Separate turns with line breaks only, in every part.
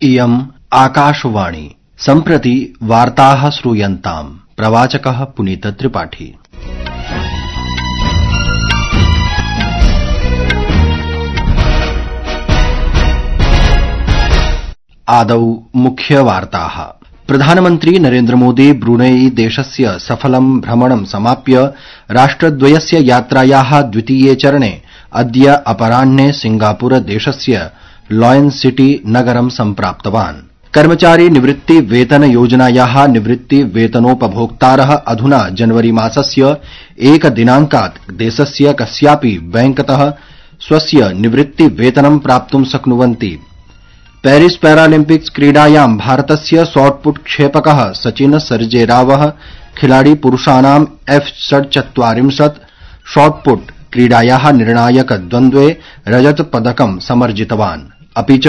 इयम् आकाशवाणी सम्प्रति वार्ताः श्रूयन्ताम्। प्रवाचकः पुनीत त्रिपाठी। आदौ मुख्यवार्ताः। प्रधानमन्त्री नरेन्द्र मोदी ब्रूनेई देशस्य सफलं भ्रमणं समाप्य राष्ट्रद्वयस्य यात्रायाः द्वितीये चरणे अद्य अपराह्ने सिंगापुर देशस्य लॉयन सिटी नगरं सम्प्राप्तवान्। कर्मचारी निवृत्ति वेतन योजनायाः निवृत्ति वेतनोपभोक्तारः अधुना जनवरी मासस्य 1 दिनाङ्कात् देशस्य कस्यापि बैंकतः स्वस्य निवृत्ति वेतनं प्राप्तुं शक्नुवन्ति। पेरिस पैरालिम्पिक्स क्रीडायां भारतस्य शॉटपुट क्षेपकः सचिन सर्जेरावः खिलाड़ी पुरुषाणां F-40 शॉटपुट क्रीडायाः निर्णायक द्वन्द्वे रजत पदकं समर्जितवान्। अपि च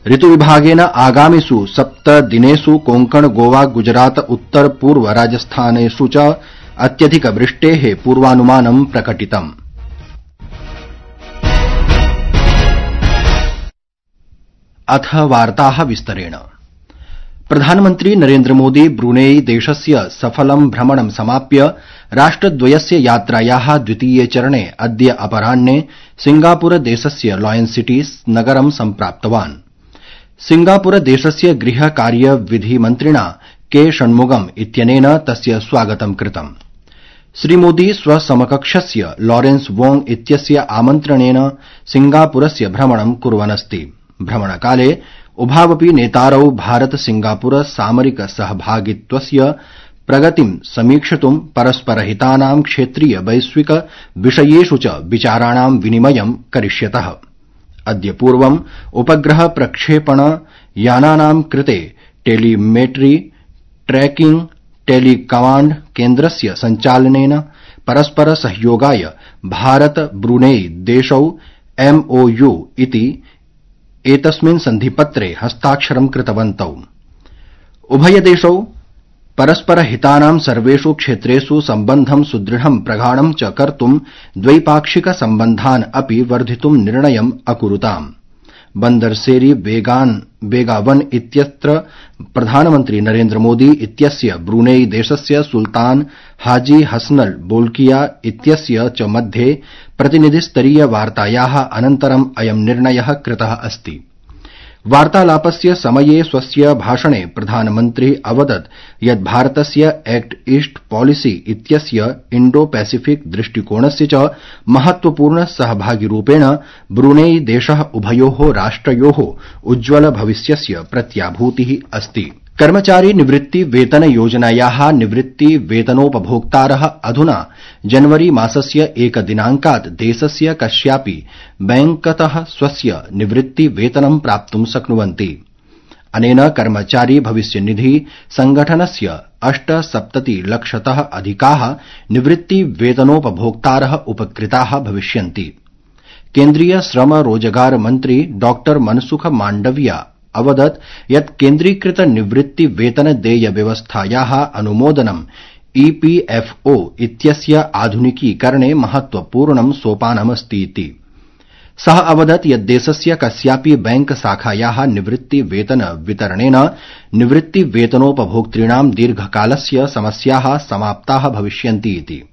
ऋतुविभागेन आगामिषु 7 दिनेषु कोंकण गोवा गुजरात उत्तर पूर्व राजस्थानेषु च अत्यधिक वृष्टेः पूर्वानुमानं प्रकटितम्। अथ वार्ताः विस्तरेण। प्रधानमन्त्री नरेन्द्र मोदी ब्रूनेई देशस्य सफलं भ्रमणं समाप्य राष्ट्रद्वयस्य यात्रायाः द्वितीये चरणे अद्य अपराह्ने सिंगापुर देशस्य लॉयन सिटी नगरं सम्प्राप्तवान्। सिंगापुर देशस्य गृह कार्य विधि मन्त्रिणा के षण्मुगम इत्यनेन तस्य स्वागतं कृतम्। श्रीमोदी स्वसमकक्षस्य लॉरेंस वोंग इत्यस्य आमन्त्रणेन सिंगापुरस्य भ्रमणं कुर्वन्नस्ति। भ्रमणकाले उभावपि नेतारौ भारत सिंगापुर सामरिक सहभागित्वस्य प्रगतिं समीक्षितुं परस्परहितानां क्षेत्रीय वैश्विक विषयेषु च विचाराणां विनिमयं करिष्यतः। अद्य पूर्वम् उपग्रह प्रक्षेपण यानानां कृते टेलीमेट्री ट्रैकिंग टेलीकमाण्ड केन्द्रस्य सञ्चालनेन परस्पर सहयोगाय भारत ब्रूनेई देशौ MOU इति एतस्मिन् सन्धिपत्रे हस्ताक्षरं कृतवन्तौ। उभयदेशौ परस्परहितानां सर्वेषु क्षेत्रेषु सम्बन्धं सुदृढं प्रगाढं च कर्तुं द्वैपाक्षिक सम्बन्धान् अपि वर्धितुं निर्णयम् अकुरुताम्। बन्दरसेरी बेगावन इत्यत्र प्रधानमन्त्री नरेन्द्र मोदी इत्यस्य ब्रूनेई देशस्य सुल्तान हाजी हसनल बोल्किया इत्यस्य च मध्ये प्रतिनिधिस्तरीय वार्तायाः अनन्तरम् अयं निर्णयः कृतः अस्ति। वार्तालापस्य समये स्वस्य भाषणे प्रधानमन्त्री अवदत् यत् भारतस्य एक्ट ईस्ट पॉलिसी इत्यस्य इण्डो पैसिफिक दृष्टिकोणस्य च महत्वपूर्ण सहभागिरूपेण ब्रूनेई देशः उभयोः राष्ट्रयोः उज्ज्वल भविष्यस्य प्रत्याभूतिः अस्ति। कर्मचारी निवृत्ति वेतन योजनायाः निवृत्ति वेतनोपभोक्तारः अधुना जनवरी मासस्य 1 दिनाङ्कात् देशस्य कस्यापि बैंकतः स्वस्य निवृत्ति वेतनं प्राप्तुं शक्नुवन्ति। अनेन कर्मचारी भविष्यनिधि संगठनस्य 78 लक्षतः अधिकाः निवृत्ति वेतनोपभोक्तारः उपकृताः भविष्यन्ति। केन्द्रीय श्रम रोजगार मन्त्री डॉ मनसुख माण्डविया अवदत् यत् केन्द्रीकृत निवृत्ति वेतन देय व्यवस्थायाः अनुमोदनं EPFO इत्यस्य आधुनिकीकरणे महत्वपूर्णं सोपानमस्ति इति। सः अवदत् यत् देशस्य कस्यापि बैंक शाखायाः निवृत्ति वेतन वितरणेन निवृत्ति वेतनोपभोक्तॄणां दीर्घकालस्य समस्याः समाप्ताः भविष्यन्ति इति।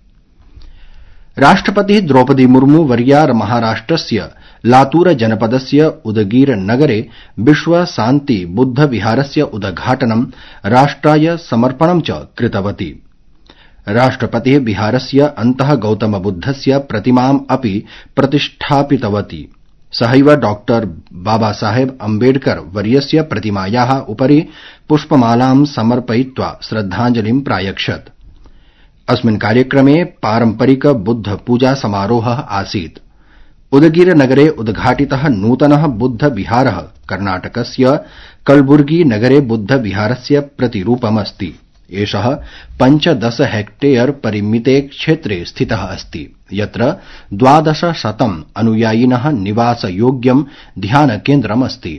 राष्ट्रपतिः द्रौपदी मुर्मू वर्या महाराष्ट्रस्य लातूर जनपदस्य उदगीर नगरे विश्व शान्ति बुद्ध विहारस्य उद्घाटनं राष्ट्राय समर्पणं च कृतवती। राष्ट्रपतिः विहारस्य अन्तः गौतम बुद्धस्य प्रतिमाम् अपि प्रतिष्ठापितवती। सहैव डॉ बाबासाहेब अम्बेडकर वर्यस्य प्रतिमायाः उपरि पुष्पमालां समर्पयित्वा श्रद्धाञ्जलिं प्रायच्छत्। अस्मिन् कार्यक्रमे पारम्परिक बुद्ध पूजा समारोहः आसीत्। उदगीर नगरे उद्घाटितः नूतनः बुद्ध विहारः कर्णाटकस्य कलबुर्गी नगरे बुद्ध विहारस्य प्रतिरूपमस्ति। एषः 15 हेक्टेयर परिमिते क्षेत्रे स्थितः अस्ति, यत्र 1200 अनुयायिनः निवासयोग्यं ध्यानकेन्द्रमस्ति।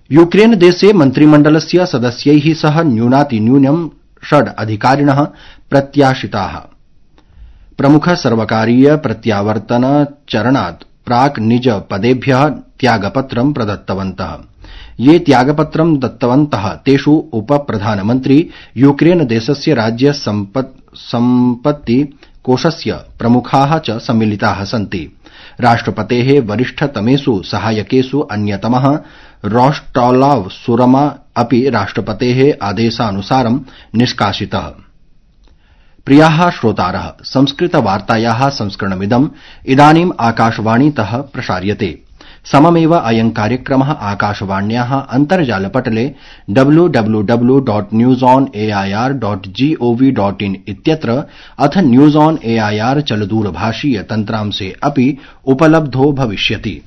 यूक्रेन देशे मन्त्रिमण्डलस्य सदस्यैः सह न्यूनातिन्यूनं 6 अधिकारिणः प्रत्याशिताः। प्रमुख सर्वकारीय प्रत्यावर्तन चरणात् प्राक् निज पदेभ्यः त्यागपत्रं प्रदत्तवन्तः। ये त्यागपत्रं दत्तवन्तः तेषु उपप्रधानमन्त्री यूक्रेन देशस्य राज्य सम्पत्ति कोषस्य प्रमुखाः च सम्मिलिताः सन्ति। राष्ट्रपतेः वरिष्ठतमेषु सहायकेषु अन्यतमः रोस्टॉलाव सुरमा अपि राष्ट्रपतेः आदेशानुसारं निष्कासितः। प्रियाः श्रोतारः, संस्कृतवार्तायाः संस्करणमिदम् इदानीम् आकाशवाणीतः प्रसार्यते। सममेव अयं कार्यक्रमः आकाशवाण्याः अन्तर्जालपटले www.newsonair.gov.in इत्यत्र अथ न्यूज ऑन एआईआर चलदूरभाषीय तन्त्रांशे अपि उपलब्धो भविष्यति।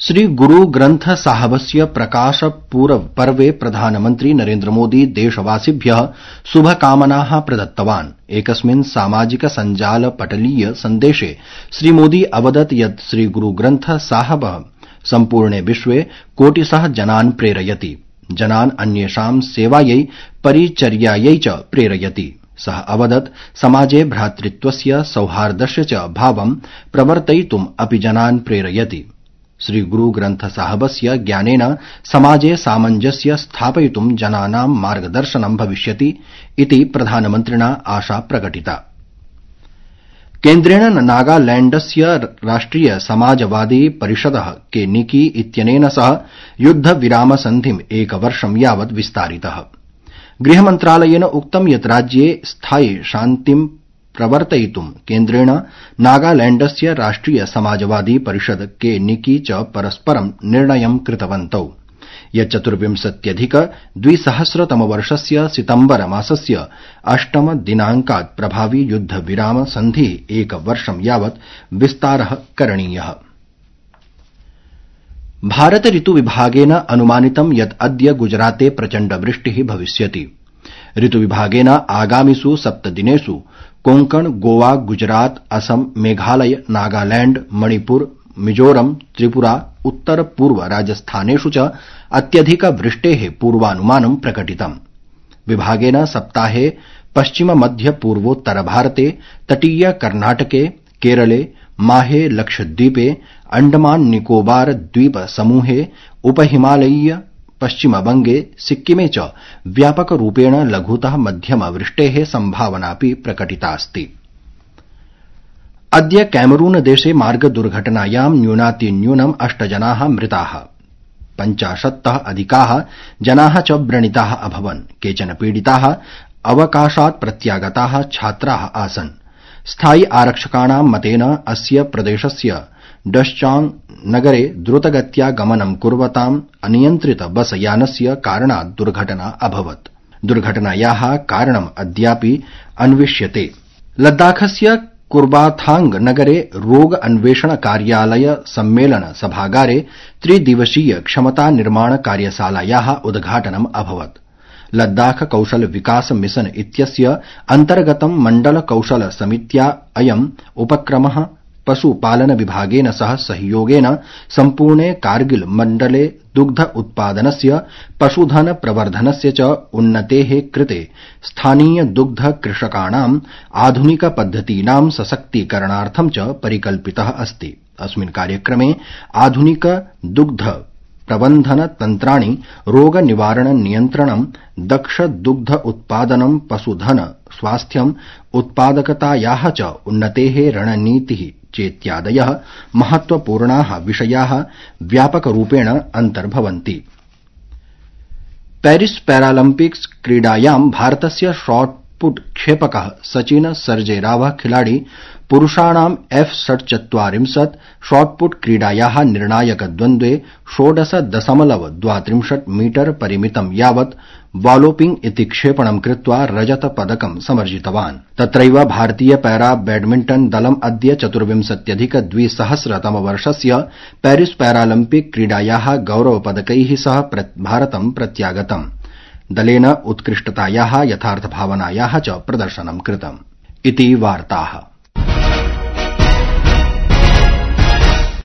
श्री गुरु ग्रन्थ साहबस्य प्रकाश पर्वे प्रधानमन्त्री नरेन्द्र मोदी देशवासिभ्यः शुभकामनाः प्रदत्तवान्। एकस्मिन् सामाजिक सञ्जाल पटलीय सन्देशे श्री मोदी अवदत् यत् श्री गुरु ग्रन्थ साहबः सम्पूर्णे विश्वे कोटिशः जनान् प्रेरयति, जनान् अन्येषां सेवायै परिचर्यायै च प्रेरयति। सः अवदत् समाजे भ्रातृत्वस्य सौहार्दस्य च भावं प्रवर्तयितुम् अपि जनान् प्रेरयति। श्री गुरु ग्रन्थ साहबस्य ज्ञानेन समाजे सामञ्जस्य स्थापयितुं जनानां मार्गदर्शनं भविष्यति इति प्रधानमन्त्रिणा आशा प्रकटिता। केन्द्रेण नागालैण्डस्य राष्ट्रिय समाजवादी परिषदः के निकी इत्यनेन सह युद्धविरामसन्धिम् एकवर्षं यावत् विस्तारितः। गृहमन्त्रालयेन उक्तं यत् राज्ये स्थायि शान्तिं प्रवर्तयितुं केन्द्रेण नागालैण्डस्य राष्ट्रिय समाजवादी परिषद के निकी च परस्परं निर्णयं कृतवन्तौ। यत् 24-2000 सितम्बर मासस्य 8 दिनाङ्कात् प्रभावी युद्धविराम सन्धिः एकवर्षं यावत् विस्तारः करणीयः। भारत ऋतुविभागेन अनुमानितं यत् अद्य गुजराते प्रचण्डवृष्टिः भविष्यति। ऋतुविभागेन आगामिषु 7 दिनेषु कोंकण, गोवा, गुजरात, असम, मेघालय, नागालैंड, मणिपुर, मिजोरम, त्रिपुरा, उत्तर पूर्व राजस्थानेषु च अत्यधिकवृष्टेः पूर्वानुमानं प्रकटितम्। विभागेन सप्ताहे पश्चिम मध्य पूर्वोत्तर भारते, तटीय कर्नाटके, केरले, माहे लक्षद्वीपे, अंडमान निकोबार द्वीप समूहे, उपहिमालयीय पश्चिमबंगे, सिक्किमे च व्यापकरूपेण लघुतः मध्यमवृष्टेः सम्भावनापि प्रकटितास्ति। अद्य कैमरून देशे मार्गदुर्घटनायां न्यूनातिन्यूनम् 8 जनाः मृताः, 50तः अधिकाः जनाः च व्रणिताः अभवन्। केचन पीडिताः अवकाशात् प्रत्यागताः छात्राः आसन्। स्थायि आरक्षकाणां मतेन अस्य प्रदेशस्य डश्चांग नगरे द्रुतगत्या गमनं कुर्वताम् अनियन्त्रित बस यानस्य कारणात् दुर्घटना अभवत्। दुर्घटनायाः कारणम् अद्यापि अन्विष्यते। लद्दाखस्य कुर्बाथांग नगरे रोग अन्वेषण कार्यालय सम्मेलन सभागारे 3 दिवसीय क्षमता निर्माण कार्यशालायाः उद्घाटनम् अभवत्। लद्दाख कौशल विकास मिशन इत्यस्य अन्तर्गतं मण्डल कौशल समित्या अयम् उपक्रमः पशुपालन विभागेन सह सहयोगेन सम्पूर्णे कारगिल मण्डले दुग्ध उत्पादनस्य, पशुधन प्रवर्धनस्य च उन्नतेः कृते स्थानीय दुग्ध कृषकाणाम् आधुनिक पद्धतीनां सशक्तीकरणार्थं च परिकल्पितः अस्ति। अस्मिन् कार्यक्रमे आधुनिक दुग्ध प्रबन्धन तन्त्राणि, रोग निवारण नियन्त्रणं, दक्ष दुग्ध उत्पादनं, पशुधन स्वास्थ्यं, उत्पादकतायाः च उन्नतेः रणनीतिः चेत्यादयः महत्वपूर्णाः विषयाः व्यापकरूपेण अन्तर्भवन्ति। पेरिस पैरालम्पिक्स क्रीडायां भारतस्य शॉटपुट क्षेपकः सचिन सर्जेरावः खिलाड़ी पुरुषाणां F-40 शॉटपुट क्रीडायाः निर्णायकद्वन्द्वे 16.32 मीटर परिमितं यावत् वॉलोपिंग इति क्षेपणं कृत्वा रजतपदकं समर्जितवान्। तत्रैव भारतीय पैरा बैडमिण्टन दलम् अद्य 24-2000 पेरिस पैरालम्पिक क्रीडायाः गौरवपदकैः सह भारतं प्रत्यागतम्। दलेन उत्कृष्टतायाः यथार्थभावनायाः च प्रदर्शनं कृतम्। इति वार्ताः।